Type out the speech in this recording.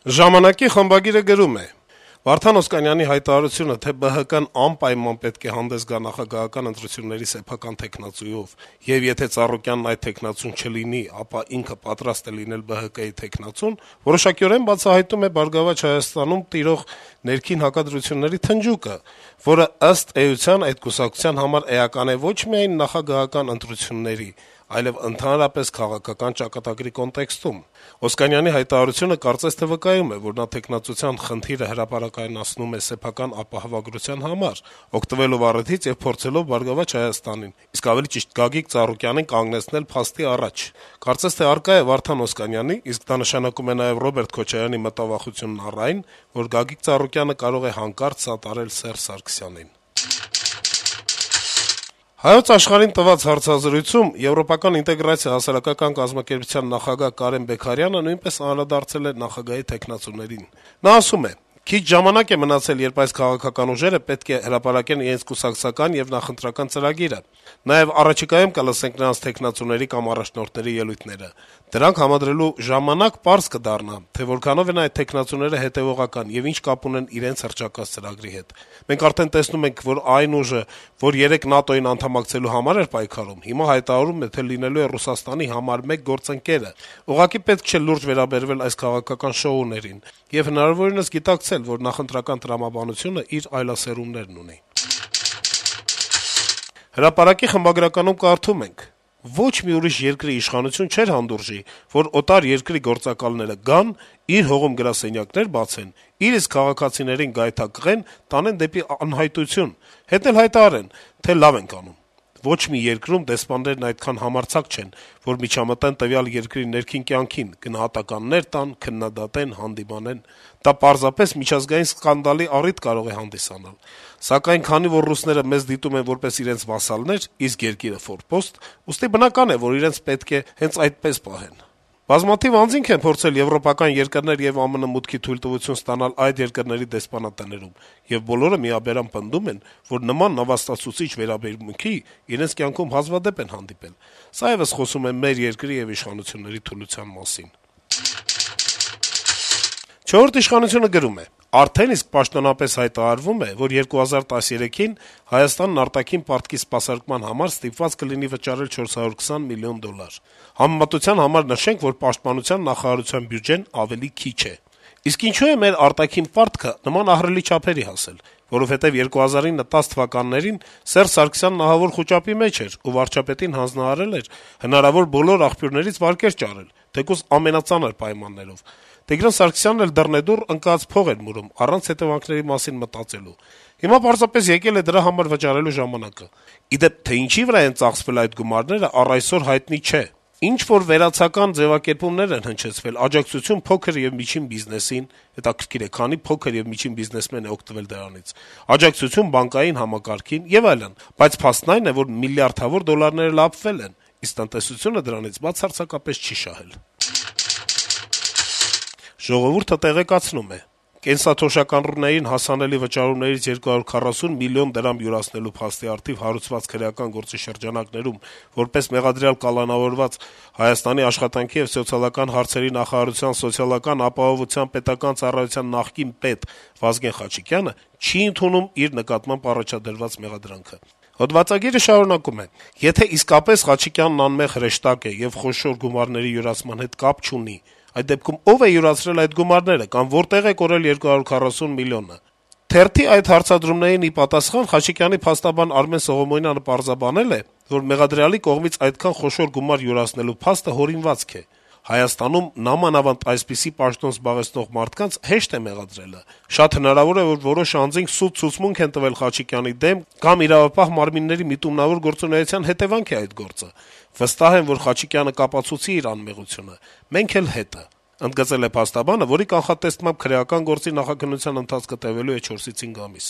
Ժամանակի խմբագիրը գրում է. - Վարդան Օսկանյանի հայտարարությունը, թե ԲՀԿ-ն անպայման պետք է հանդես գա նախագահական ընտրությունների սեփական թեկնածուով, եւ եթե Ծառուկյանն այդ թեկնածուն չլինի, ապա ինքը պատրաստ է լինել ԲՀԿ-ի թեկնածուն, որոշակիորեն բացահայտում է «Բարգավաճ Հայաստանում» տիրող ներքին հակադրությունների թնջուկը, որը ըստ էության այդ կուսակցության համար էական է ոչ միայն նախագահական ընտրությունների, այլև ընդհանրապես քաղաքական ճակատագրի կոնտեքստում: Օսկանյանի հայտարարությունը կարծես թե վկայում է, որ նա թեկնածության խնդիրը հրապարակայնացնում է սեփական ապահովագրության համար, օգտվելով առիթից եւ փորձելով «Բարգավաճ Հայաստանին», իսկ ավելի ճիշտ Գագիկ Ծառուկյանին կանգնեցնել փաստի առաջ: Կարծես թե առկա է Վարդան Օսկանյանի, իսկ դա նշանակում է նաեւ Ռոբերտ Քոչարյանի մտավախությունն առ այն, որ Գագիկ Ծառուկյանը կարող է հանկարծ սատարել Սերժ Սարգսյանին: «Հայոց Աշխարհ»-ին տված հարցազրույցում Եվրոպական ինտեգրացիա հասարակական կազմակերպության նախագահ Կարեն Բեգարյանը նույնպես անդրադարձել է նախագահի թեկնածուներին: Նա ասում է. - «Քիչ ժամանակ է մնացել, երբ այս քաղաքական ուժերը պետք է հրապարակեն իրենց կուսակցական եւ նախընտրական ծրագիրը: Նաեւ առաջիկայում կլսենք նրանց թեկնածուների կամ առաջնորդների ելույթները: Դրանք համադրելու ժամանակ պարզ կդառնա, թե որքանով են այդ թեկնածուները հետեւողական եւ ինչ կապ ունեն իրենց հռչակած ծրագրի հետ: Մենք արդեն տեսնում ենք, որ այն ուժը, որ երեկ ՆԱՏՕ-ին անդամակցելու համար էր պայքարում, հիմա հայտարարում է, թե լինելու է Ռուսաստանի համար մեկ գործընկերը: Ուղղակի պետք չէ լուրջ վերաբերվել այս քաղաքական շոուներին եւ հնարավորինս գիտակցել, որ նախընտրական տրամաբանությունը իր այլասերումներն ունի»: «Հրապարակ»-ի խմբագրականում կարդում ենք. - «Ոչ մի ուրիշ երկրի իշխանություն չէր հանդուրժի, որ օտար երկրի գործակալները գան, իր հողում գրասենյակներ բացեն, իր իսկ քաղաքացիներին գայթակղեն, տանեն դեպի անհայտություն, հետո էլ հայտարարեն, թե լավ ենք անում: Ոչ մի երկրում դեսպաններն այդքան համարձակ չեն, որ միջամտեն տվյալ երկրի ներքին կյանքին, գնահատականներ տան, քննադատեն, հանդիմանեն: Դա պարզապես միջազգային սկանդալի առիթ կարող է հանդիսանալ: Սակայն քանի որ ռուսները մեզ դիտում են որպես իրենց վասալներ, իսկ երկիրը ֆորպոստ, ուստի բնական է, որ իրենց պետք է հենց այդպես պահեն: Բազմաթիվ անձինք են փորձել եվրոպական երկրներ եւ ԱՄՆ մուտքի թույլտվություն ստանալ այդ երկրների դեսպանատներում, եւ բոլորը միաբերան պնդում են, որ նման նվաստացուցիչ վերաբերմունքի իրենց կյանքում հազվադեպ են հանդիպել: Սա եւս խոսում է մեր երկրի եւ իշխանությունների թուլության մասին»: «Չորրորդ ինքնիշխանություն»-ը գրում է. - «Արդեն իսկ պաշտոնապես հայտարարվում է, որ 2013-ին Հայաստանն արտաքին պարտքի սպասարկման համար ստիպված կլինի վճարել $420 միլիոն: Համեմատության համար նշենք, որ Պաշտպանության նախարարության բյուջեն ավելի քիչ է: Իսկ ինչո՞ւ է մեր արտաքին պարտքը նման ահռելի չափերի հասել: Որովհետեւ 2009-10 թվականներին Սերժ Սարգսյանն ահավոր խուճապի մեջ էր ու վարչապետին հանձնարարել էր հնարավոր բոլոր աղբյուրներից վարկեր ճարել, թեկուզ ամենածանր պայմաններով: Տիգրան Սարգսյանն էլ դռնեդուռ ընկած փող էր մուրում, առանց հետեւանքների մասին մտածելու: Հիմա պարզապես եկել է դրա համար վճարելու ժամանակը: Ի դեպ, թե ինչի վրա են ծախսվել այդ գումարները, առ այսօր հայտնի չէ: Ինչ-որ վերացական ձեւակերպումներ են հնչեցվել, աջակցություն փոքր եւ միջին բիզնեսին, հետաքրքիր է, քանի փոքր եւ միջին բիզնեսմեն է օգտվել դրանից, աջակցություն բանկային համակարգին եւ այլն, բայց փաստն այն է, որ միլիարդավոր դոլարները լափվել են, իսկ տնտեսությունը դրանից բացարձակապես չի շահել»: «Ժողովուրդ»-ը տեղեկացնում է. - «Կենսաթոշակառուներին հասանելի վճարումներից 240 միլիոն դրամ յուրացնելու փաստի առթիվ հարուցված քրեական գործի շրջանակներում որպես մեղադրյալ կալանավորված Հայաստանի աշխատանքի եւ սոցիալական հարցերի նախարարության սոցիալական ապահովության պետական ծառայության նախկին պետ Վազգեն Խաչիկյանը չի ընդունում իր նկատմամբ առաջադրված մեղադրանքը»: Հոդվածագիրը շարունակում է. - «Եթե իսկապես Խաչիկյանն անմեղ հրեշտակ է եւ խոշոր գումարների յուրացման հետ կապ չունի, այդ դեպքում ո՞վ է յուրացրել այդ գումարները կամ որտե՞ղ է կորել 240 միլիոնը»: Թերթի այդ հարցադրումներին ի պատասխան Խաչիկյանի փաստաբան Արմեն Սողոմոնյանը պարզաբանել է, որ մեղադրյալի կողմից այդքան խոշոր գումար յուրացնելու փաստը հորինվածք է: Հայաստանում նամանավանդ այսպիսի պաշտոն զբաղեցնող մարդկանց հեշտ է մեղադրելը: Շատ հնարավոր է, որ որոշ անձինք սուտ ցուցմունք են տվել Խաչիկյանի դեմ կամ իրավապահ մարմինների միտումնավոր գործունեության հետեւանք է այդ գործը: Վստահ եմ, որ Խաչիկյանը կապացուցի իր անմեղությունը: Մենք էլ հետը», - ընդգծել է փաստաբանը, որի կանխատեսմամբ քրեական գործի նախաքննության ընթացքը տեւելու է 4-5 ամիս: